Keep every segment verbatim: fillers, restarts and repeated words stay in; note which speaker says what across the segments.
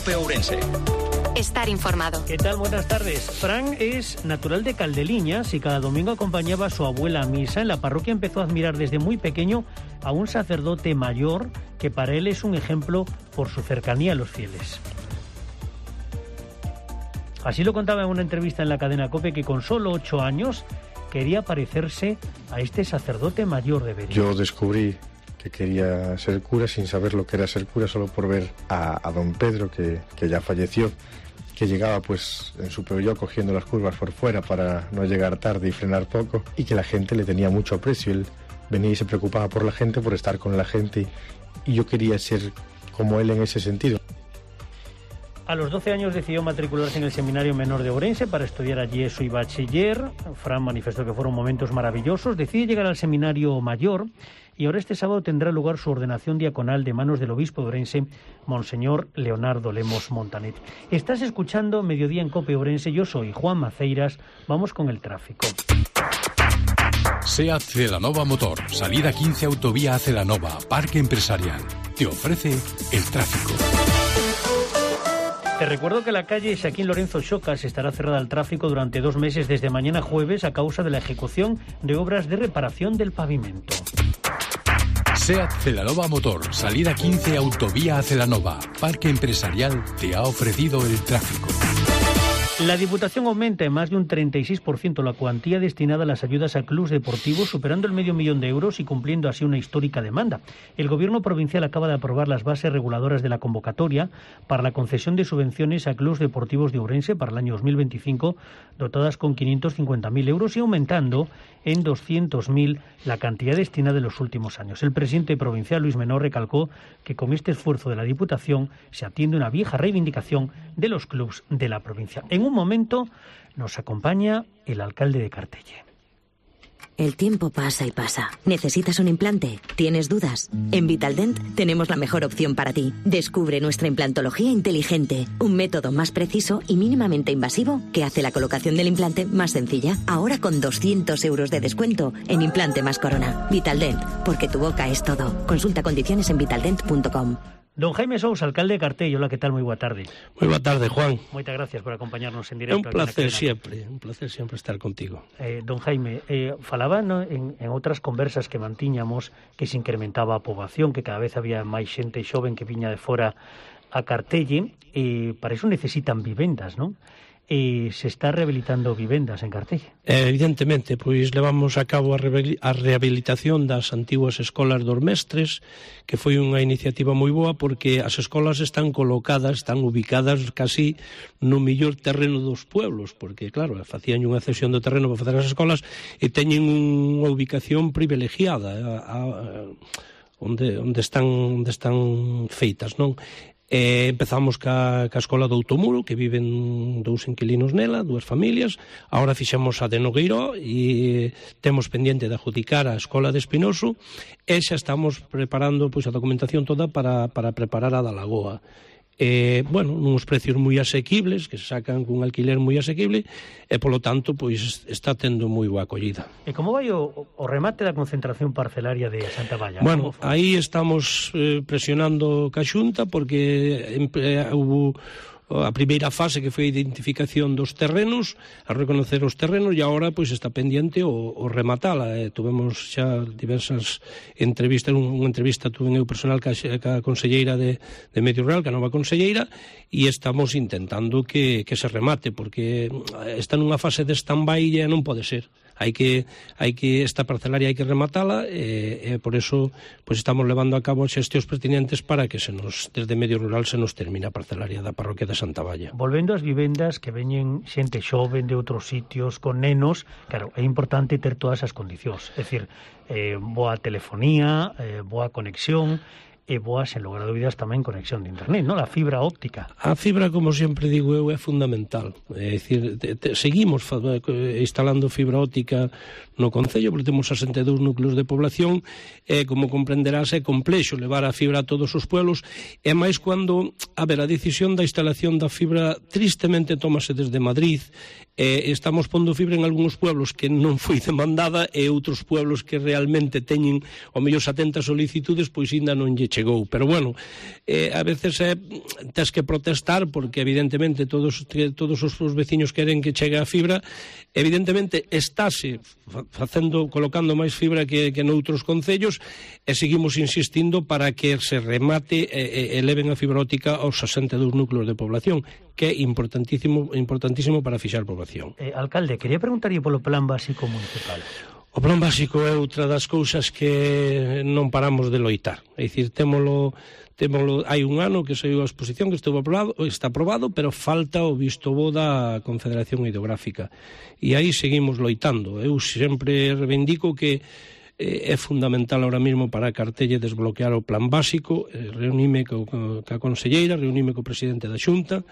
Speaker 1: COPE Ourense.
Speaker 2: Estar informado.
Speaker 3: ¿Qué tal? Buenas tardes. Fran es natural de Caldeliñas y cada domingo acompañaba a su abuela a misa. En la parroquia empezó a admirar desde muy pequeño a un sacerdote mayor que para él es un ejemplo por su cercanía a los fieles. Así lo contaba en una entrevista en la cadena COPE, que con solo ocho años quería parecerse a este sacerdote mayor de Berín.
Speaker 4: Yo descubrí que quería ser cura sin saber lo que era ser cura, solo por ver a, a don Pedro, que, que ya falleció, que llegaba pues en su Peugeot cogiendo las curvas por fuera para no llegar tarde y frenar poco, y que la gente le tenía mucho aprecio. Él venía y se preocupaba por la gente, por estar con la gente, y yo quería ser como él en ese sentido.
Speaker 3: A los doce años decidió matricularse en el Seminario Menor de Ourense para estudiar allí eso y bachiller. Fran manifestó que fueron momentos maravillosos. Decide llegar al Seminario Mayor y ahora este sábado tendrá lugar su ordenación diaconal de manos del obispo de Ourense, Monseñor Leonardo Lemos Montanet. Estás escuchando Mediodía en COPE Ourense. Yo soy Juan Maceiras. Vamos con el tráfico.
Speaker 5: SEAT Celanova Motor, salida quince Autovía a Celanova, Parque Empresarial. Te ofrece el tráfico.
Speaker 3: Te recuerdo que la calle Xaquín Lorenzo Xocas estará cerrada al tráfico durante dos meses desde mañana jueves a causa de la ejecución de obras de reparación del pavimento.
Speaker 5: SEAT Celanova Motor, salida quince Autovía a Celanova, Parque Empresarial, te ha ofrecido el tráfico.
Speaker 3: La Diputación aumenta en más de un treinta y seis por ciento la cuantía destinada a las ayudas a clubs deportivos, superando el medio millón de euros y cumpliendo así una histórica demanda. El Gobierno provincial acaba de aprobar las bases reguladoras de la convocatoria para la concesión de subvenciones a clubs deportivos de Ourense para el año dos mil veinticinco, dotadas con quinientos cincuenta mil euros y aumentando en doscientos mil la cantidad destinada en los últimos años. El presidente provincial, Luis Menor, recalcó que con este esfuerzo de la Diputación se atiende una vieja reivindicación de los clubs de la provincia. En un momento nos acompaña el alcalde de Cartelle.
Speaker 6: El tiempo pasa y pasa. ¿Necesitas un implante? ¿Tienes dudas? En Vitaldent tenemos la mejor opción para ti. Descubre nuestra implantología inteligente, un método más preciso y mínimamente invasivo que hace la colocación del implante más sencilla. Ahora con doscientos euros de descuento en Implante más Corona. Vitaldent, porque tu boca es todo. Consulta condiciones en vitaldent punto com.
Speaker 3: Don Jaime Sousa, alcalde de Cartelle. Hola, ¿qué tal? Muy boa tarde.
Speaker 7: Moi boa tarde, Juan.
Speaker 3: Moitas gracias por acompañarnos en
Speaker 7: É
Speaker 3: directo.
Speaker 7: un placer sempre, un placer sempre estar contigo.
Speaker 3: Eh, don Jaime, eh, falaba no, en, en outras conversas que mantiñamos que se incrementaba a poboación, que cada vez había máis xente xoven que viña de fora a Cartelle, e para iso necesitan vivendas, non? E se está rehabilitando vivendas en Cartelle.
Speaker 7: Eh, evidentemente, pois levamos a cabo a, a rehabilitación das antiguas escolas dos mestres, que foi unha iniciativa moi boa porque as escolas están colocadas, están ubicadas casi no mellor terreno dos pueblos, porque claro, facían unha cesión do terreno para facer as escolas e teñen unha ubicación privilegiada a, a, onde, onde, están, onde están feitas, non? Eh, empezamos ca, ca escola do Outomuro, que viven dous inquilinos nela, dúas familias. Ahora fixemos a de Nogueiró e temos pendiente de adjudicar a escola de Espinoso e xa estamos preparando pois a documentación toda para, para preparar a da Lagoa. Eh, bueno, nuns precios moi asequibles, que se sacan cun alquiler moi asequible, e polo tanto, pois está tendo moi boa acollida.
Speaker 3: E como vai o, o remate da concentración parcelaria de Santa Valla?
Speaker 7: Bueno, aí estamos eh, presionando ca Xunta porque eh, hubo a primeira fase que foi a identificación dos terrenos, a reconocer os terrenos, e agora pois está pendiente o, o rematala. Eh, tuvemos xa diversas entrevistas, unha entrevista tuve eu personal ca, ca conselleira de, de Medio Rural, ca nova conselleira, e estamos intentando que, que se remate, porque está nunha fase de stand-by e non pode ser. Hai que, hai que esta parcelaria hai que rematala e, e por eso pois estamos levando a cabo as xestións pertinentes para que se nos, desde Medio Rural se nos termine a parcelaria da parroquia de Santa Valla.
Speaker 3: Volvendo ás vivendas que veñen xente xoven de outros sitios con nenos, claro, é importante ter todas as condicións, é dicir, eh, boa telefonía, eh, boa conexión, e boa, sen lugar a dúbidas, tamén conexión de internet, non? A fibra óptica.
Speaker 7: A fibra, como sempre digo eu, é fundamental. É dicir, te, te, seguimos instalando fibra óptica no Concello, porque temos sesenta e dous núcleos de población, e, como comprenderás, é complexo levar a fibra a todos os pueblos, e máis cando, a ver, a decisión da instalación da fibra tristemente tómase desde Madrid, e estamos pondo fibra en algúns pueblos que non foi demandada, e outros pueblos que realmente teñen o mellor setenta solicitudes, pois ainda non lle chegou. Pero bueno, eh, a veces eh, tens que protestar porque evidentemente todos, todos os, os veciños queren que chegue a fibra. Evidentemente estáse facendo, colocando máis fibra que, que noutros concellos, e seguimos insistindo para que se remate e, e eleven a fibra óptica aos sesenta e dous núcleos de población, que é importantísimo, importantísimo para fixar población.
Speaker 3: Eh, alcalde, quería preguntarlle polo plan básico municipal.
Speaker 7: O plan básico é outra das cousas que non paramos de loitar. É dicir, témolo, témolo, hai un ano que saiu a exposición que estuvo aprobado, está aprobado, pero falta o visto bo da Confederación Hidrográfica. E aí seguimos loitando. Eu sempre reivindico que é fundamental ahora mesmo para a Cartelle desbloquear o plan básico. Reunime co, co, ca conselleira, reunime co presidente da Xunta,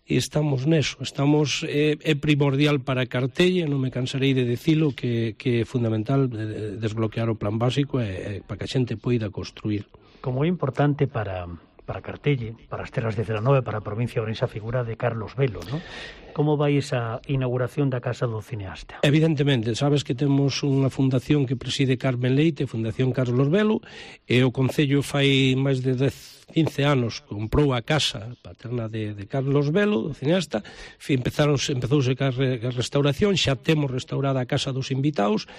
Speaker 7: e estamos neso, estamos é, é primordial para a Cartelle, non me cansarei de dicilo, que, que é fundamental desbloquear o plan básico e, e para que a xente poida construir.
Speaker 3: Como é importante para, para Cartelle, para as terras de Celanova e para a provincia de Ourense a figura de Carlos Velo, non? Como vai esa inauguración da Casa do Cineasta?
Speaker 7: Evidentemente, sabes que temos unha fundación que preside Carmen Leite, Fundación Carlos Velo, e o Concello fai máis de dez, quince anos comprou a casa paterna de, de Carlos Velo, do cineasta. Empezaron, empezouse a restauración, xa temos restaurada a Casa dos Invitados,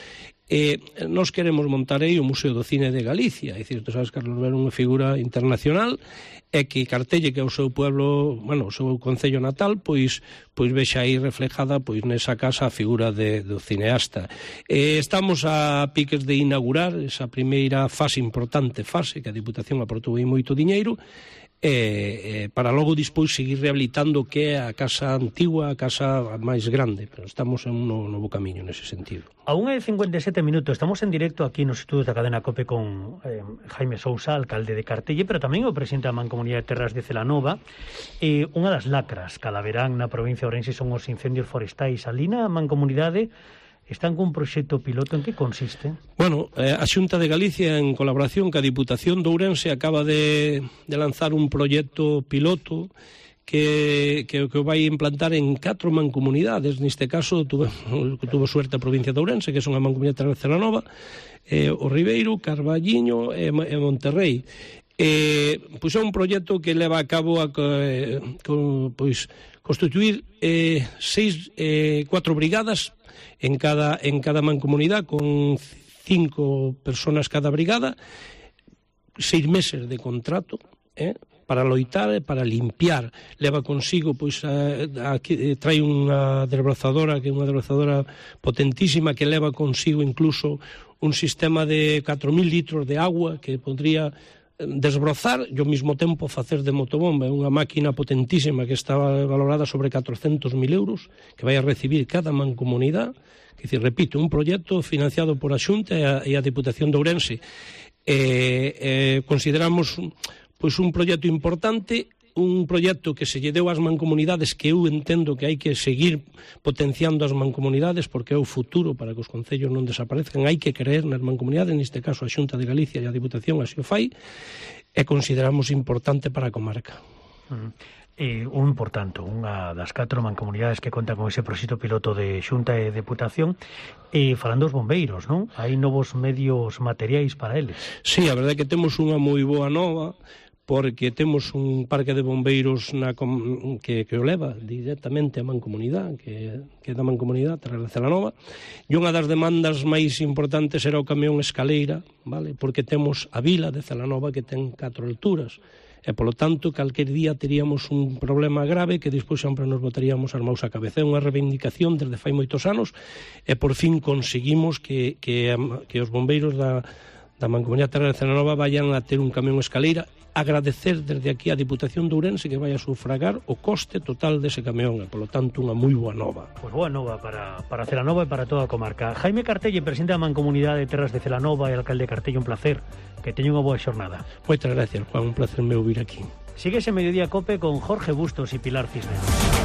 Speaker 7: e nós queremos montar aí o Museo do Cine de Galicia. É dicir, tú sabes, Carlos Velo é unha figura internacional, e que Cartelle, que é o seu pueblo, bueno, o seu concello natal, pois pois vexa aí reflejada pois nesa casa a figura de, do cineasta. Eh, estamos a piques de inaugurar esa primeira fase, importante fase, que a Diputación aportou aí moito diñeiro, e, e para logo dispois seguir rehabilitando o que é a casa antigua, a casa máis grande, pero estamos en un novo camiño nese sentido.
Speaker 3: A unha e cincuenta e sete minutos, estamos en directo aquí nos estudios da cadena COPE con eh, Jaime Sousa, alcalde de Cartelle, pero tamén o presidente da Mancomunidade de Terras de Celanova. Eh, unha das lacras cada verán na provincia de Ourense son os incendios forestais. Ali na Mancomunidade están cun proxecto piloto. En que consiste?
Speaker 7: Bueno, eh, a Xunta de Galicia, en colaboración ca Diputación de Ourense, acaba de, de lanzar un proxecto piloto que, que, que vai implantar en catro mancomunidades. Neste caso, tuve, tuvo suerte a provincia de Ourense, que é unha mancomunidade de Celanova, eh, o Ribeiro, Carballiño e, e Monterrey. Eh, pois é un proxecto que leva a cabo a, eh, con, pois, constituir eh, seis, eh, cuatro brigadas en cada, en cada mancomunidade, con cinco personas cada brigada, seis meses de contrato, eh, para loitar e para limpiar. Leva consigo, pois, a, a, a, trae unha desbrozadora, que é unha desbrozadora potentísima, que leva consigo incluso un sistema de catro mil litros de agua que podría desbrozar e ao mesmo tempo facer de motobomba. É unha máquina potentísima que está valorada sobre catrocentos mil euros, que vai a recibir cada mancomunidade. Que, decir, repito, un proxecto financiado por a Xunta e a, e a Diputación de Ourense. Eh, eh, consideramos pois un proxecto importante, un proxecto que se lle deu ás mancomunidades, que eu entendo que hai que seguir potenciando as mancomunidades porque é o futuro para que os concellos non desaparezcan. Hai que creer nas mancomunidades, neste caso a Xunta de Galicia e a Diputación así o fai, e consideramos importante para a comarca.
Speaker 3: Mm. Eh, un, por tanto, unha das catro mancomunidades que conta con ese proxecto piloto de Xunta e Deputación. E falando dos bombeiros, non? Hai novos medios materiais para eles.
Speaker 7: Sí, a verdade é que temos unha moi boa nova, porque temos un parque de bombeiros na com, que, que o leva directamente a mancomunidade, que, que é da mancomunidade, Terras de Celanova, e unha das demandas máis importantes era o camión escaleira, vale? Porque temos a vila de Celanova que ten catro alturas, e polo tanto calquer día teríamos un problema grave que despois sempre nos botaríamos as maus á cabeza. É unha reivindicación desde fai moitos anos, e por fin conseguimos que, que, que os bombeiros da, da Mancomunidade Terra de Celanova vayan a ter un camión escaleira. Agradecer desde aquí a Diputación de Ourense que vai a sufragar o coste total dese camión, e polo tanto unha moi boa nova.
Speaker 3: Pois boa nova para, para Celanova e para toda a comarca. Jaime Cartelle, presidente da Mancomunidade de Terras de Celanova e alcalde de Cartelle, un placer. Que teña unha boa xornada.
Speaker 7: Moitas gracias, Juan, un placer meu vir aquí.
Speaker 3: Síguese Mediodía Cope con Jorge Bustos e Pilar Cisneros.